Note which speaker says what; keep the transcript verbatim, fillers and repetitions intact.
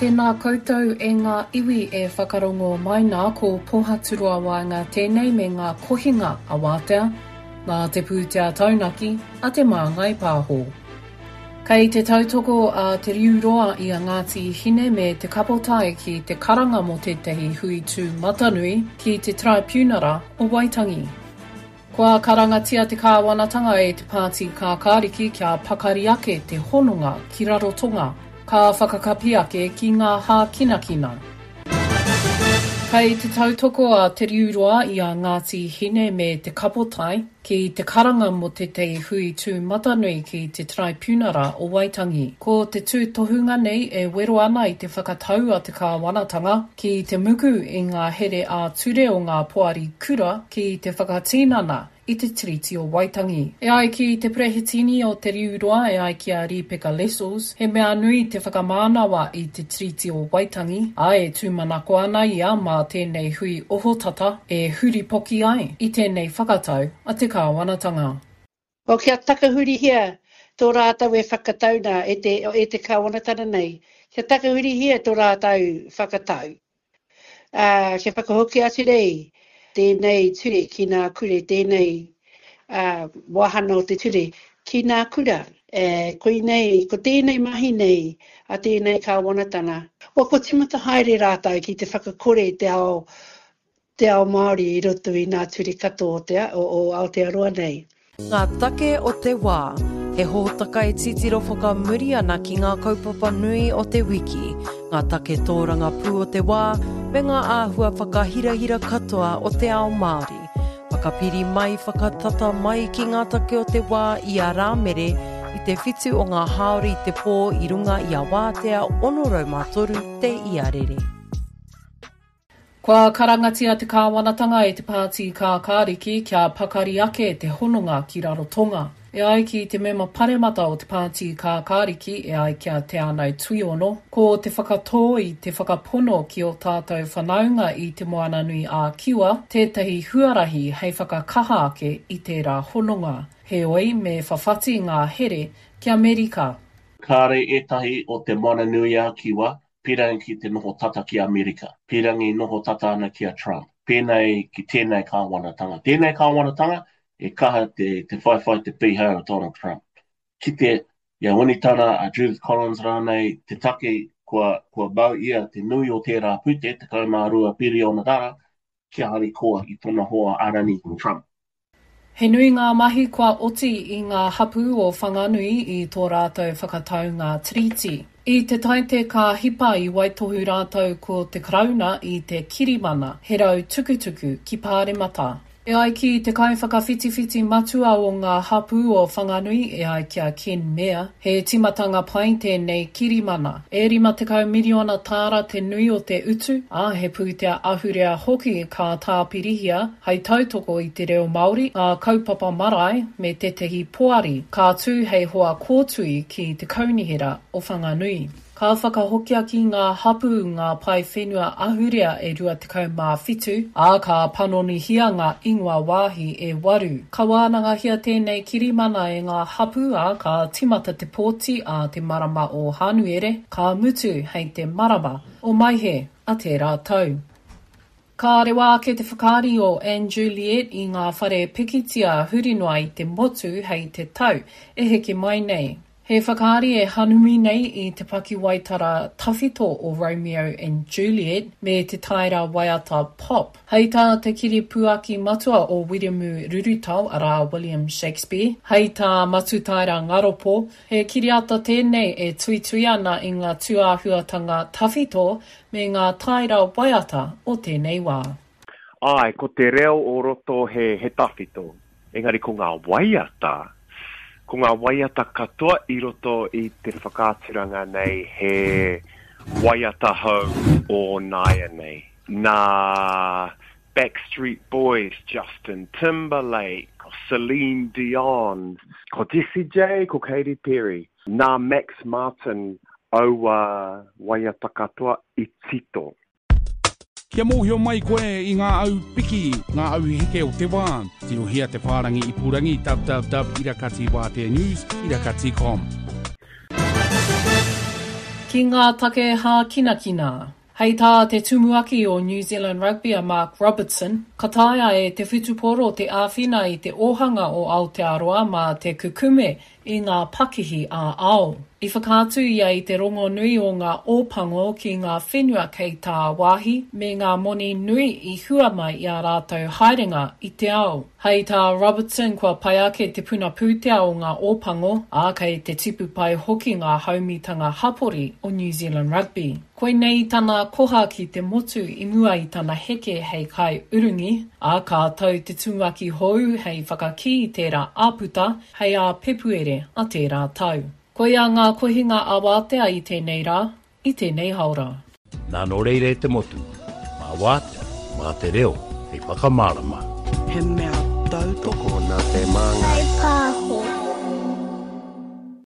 Speaker 1: Tēnā koutou e ngā iwi e whakarongo mai nā ko Pohaturoa Waenga tēnei me ngā kohinga a Wātea, nā te pūtea taunaki a Te Māngai Pāho. Kei te tautoko a Te Riu Roa i a Ngāti Hine me Te Kapotai ki te karanga mō tētahi hui tūmatanui ki te Taraipiunara o Waitangi. Kua karangatia te kāwanatanga e te Pāti Kākāriki kia pakari ake te hononga ki Rarotonga, ka whakakapi ake ki ngā hākinakina. Kei te tautoko a Te Riu Roa i a Ngāti Hine me Te Kapotai ki te karanga mō tētahi hui tūmatanui ki te Taraipiunara o Waitangi. Ko te tūtohunga nei e wero ana i te whakatau a te kāwanatanga ki te muku i ngā here ā-ture o ngā poari kura ki te whakatinana i te Tiriti o Waitangi. E ai ki te Perehitini o Te Riu Roa e ai ki a Ripeka Lessels, he mea nui te whakamānawa i te Tiriti o Waitangi, ā e tūmanako ana ia mā tēnei hui ohotata e huripoki ai i tēnei whakatau a te kāwanatanga.
Speaker 2: O kia takahurihia tō rātou e whakatau nā e te, e te kāwanatanga nei, kia takahurihia tō rātou whakatau. Uh, kia whakahoki atu nei tēnei ture ki ngā kura, tēnei uh, wāhanga o te ture ki ngā kura. E, koinei, ko tēnei mahi nei a tēnei kāwanatanga. O ko timata haere rātou ki te whakakore te ao, te ao Māori i roto i ngā ture katoa o, te, o, o Aotearoa nei.
Speaker 3: Ngā take o te wā, he hōtaka e titiro whakamuri ana ki ngā kaupapa nui o te wiki, ngā take tōrangapū o te wā, me ngā āhua whakahirahira katoa o te ao Māori. Whakapiri mai, whakatata mai ki ngā take o te wā i a Rāmere i te whitu o ngā hāora i te pō i runga i a Wātea ono rau mā toru te iarere.
Speaker 1: Kua karangatia te kāwanatanga e te Pāti Kākāriki kia pakari ake te hononga ki Rarotonga. E ai ki te mema paremata o te Pāti Kākāriki e ai ki a Te Anau Tuiono, ko te whakatō i te whakapono ki o tātou whanaunga i te Moana Nui a Kiwa, tētahi huarahi hei whakakaha ake i tērā hononga. Heoi me whawhati ngā here ki Amerika.
Speaker 4: Kāre ētahi o te Moana Nui a Kiwa, pīrangi ki te noho tata ki Amerika, pīrangi noho tata ana ki a Trump. Pēnei ki tēnei kāwanatanga. Tēnei kāwanatanga e kaha te, te whaiwhai te pīhau o Donald Trump. Ki te ia Winitana, a Judith Collins rānei, te take kua, kua mau ia te nui o tērā pūtea, tekau mā rua piriona rara, kia harikoa i tōna hoa arani Trump.
Speaker 1: He nui ngā mahi kua oti i ngā hapū o Whanganui i tō rātou whakataunga tiriti. I te taite ka hipa i waitohu rātou ko te Karauna i te kirimana, he rau tukutuku ki Pāremata. E ai ki te kaiwhakawhitiwhiti matua o ngā hapū o Whanganui e ai ki a Ken Mair, he timatanga pai tēnei kirimana. E rima tekau miriona tāra te nui o te utu, ā, he pūtea ahurea hoki ka tāpirihia hei tautoko i te reo Māori, ngā kaupapa marae me tētahi poari, ka tū hei hoa kōtui ki te kaunihera o Whanganui. Ka whakahokia ki ngā hapū ngā pae whenua ahurea e rua tekau mā whitu, ā, ka panonihia ngā ingoa wāhi e waru. Ka wānangahia tēnei kirimana e ngā hapū, ā, ka timata te pōti a te marama o Hānuere, ka mutu hei te marama o Maehe a tērā tau. Ka rewa ake te whakaari o and Juliet i ngā whare pikitia huri noa i te motu hei te tau e heke mai nei. He whakaari e hanumi nei i te pakiwaitara tawhito o Romeo and Juliet me te taera waiata pop. Hei tā te kiripuaki matua o Wiremu Rurutau, arā William Shakespeare, hei tā Matutaera Ngaropo, he kiriata tēnei e tuitui ana i ngā tūāhuatanga tawhito me ngā taera waiata o tēnei wā.
Speaker 5: Ai, ko te reo o roto he, he tawhito, engari ko ngā waiata, ko ngā waiata katoa i roto i te whakaaturanga nei he waiata hou o nāianei. Nā Backstreet Boys, Justin Timberlake, ko Celine Dion, ko Jessie J, ko Katy Perry. Nā Max Martin aua waiata katoa i tito.
Speaker 6: Kia mōhio mai koe i ngā au piki, ngā au heke o te wā. Tirohia te whārangi ipurangi www irakati wātea news irakati com.
Speaker 1: Ki ngā take hākinakina. Hei tā te tumuaki o New Zealand Rugby a Mark Robertson, ka taea e te whutupōro te āwhina i te ōhanga o Aotearoa mā te kukume i ngā pakihi ā-ao. I whakaatu ia i te rongonui o ngā Ōpango ki ngā whenua kei tāwāhi me ngā moni nui i hua mai i ā rātou haerenga i te ao. Hei tā Robertson kua pai ake te puna pūtea o ngā Ōpango, ā, kei te tipu pai hoki ngā haumitanga hapori o New Zealand Rugby. Koinei tana koha ki te motu i mua i tana heke hei kaiurungi, ā, ka tau te tumuaki hou hei whakakī i tērā āputa hei ā Pepuere a tērā tau. Koia ngā kohinga ā-wātea i tēnei rā, i tēnei haora.
Speaker 7: Nā nō reira e te motu, mā wātea, mā te reo, hei whakamārama.
Speaker 8: He mea tautoko
Speaker 9: nā te māngai.